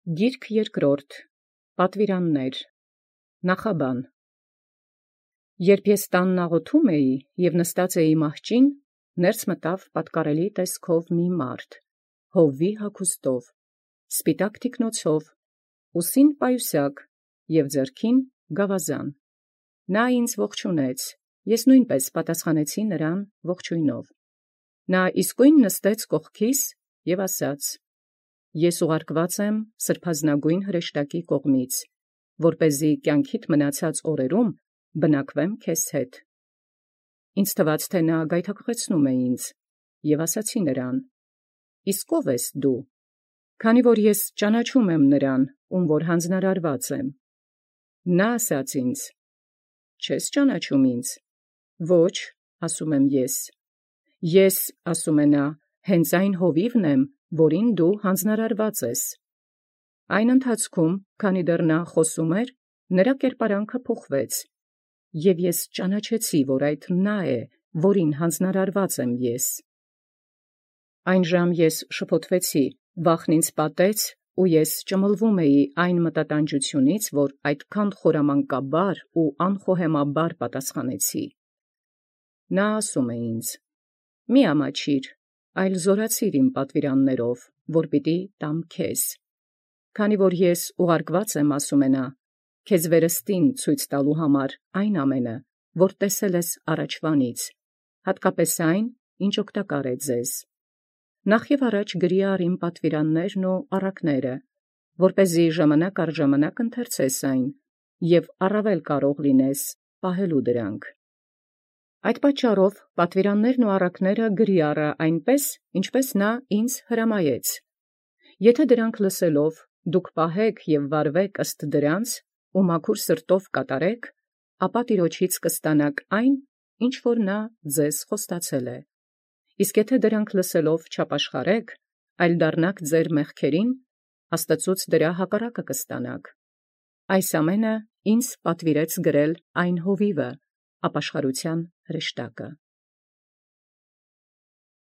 Գիրք երկրորդ. Պատվիրաններ. Նախաբան. Երբ ես տանն աղոթում և նստած մահճին, ներս մտավ պատկառելի տեսքով մի մարդ, հովվի հագուստով, սպիտակ թիկնոցով, ուսին պայուսակ և ձեռքին գավազան. նա ինձ ողջունեց, ես նույնպես պատասխանեցի նրան ողջույնով. նա իսկույն նստեց կողքիս և ասաց. Ես ուղարկված եմ սրբազնագույն հրեշտակի կողմից, որպեսզի կյանքիդ մնացած օրերում բնակվեմ քեզ հետ։ Ինձ թվաց, թե նա գայթակղեցնում է ինձ, և ասացի նրան. Իսկ ո՞վ ես դու, քանի որ ես ճանաչում եմ նրան, ում որ հանձնարարված եմ։ Նա ասաց ինձ. Չես ճանաչում ինձ։ Ոչ, ասում եմ ես։ Ես, ասում է նա, հենց այն հովիվն եմ, որին դու հանձնարարված ես։ Այն ընթացքում, քանի դեռ նա խոսում էր, նրա կերպարանքը փոխվեց, և ես ճանաչեցի, որ այդ նա է, որին հանձնարարված եմ ես։ Այն ժամ ես շփոթվեցի, վախն ինձ պատեց, ու ես ճմլվում էի այն մտատանջությունից, որ այդքան խորամանկաբար ու անխոհեմաբար պատասխանեցի։ Նա ասում է ինձ. Մի ամաչիր, այլ զորացիր իմ պատվիրաններով, որ պիտի տամ քեզ, քանի որ ես ուղարկված եմ, ասում է նա, քեզ վերստին ցույց տալու համար այն ամենը, որ տեսել ես առաջվանից, հատկապես այն, ինչ օգտակար է ձեզ։ Նախ և առաջ գրի առ իմ պատվիրաններն ու առակները, որպեսզի ժամանակ առ ժամանակ ընթերցես այն, և առավել կարող լինես պահելու դրանք։ Այդ պատճառով պատվիրաններն ու առակները գրի առա այնպես, ինչպես նա ինձ հրամայեց։ Եթե դրանք լսելով դուք պահեք և վարվեք ըստ դրանց, ու մաքուր սրտով կատարեք, ապա Տիրոջից կստանաք այն, ինչ որ նա ձեզ խոստացել է։ Իսկ եթե դրանք լսելով չապաշխարեք, այլ դառնաք ձեր մեղքերին, Աստծուց դրա հակառակը կստանաք։ Այս ամենը ինձ պատվիրեց գրել այն հովիվը, ապաշխարության հրեշտակը։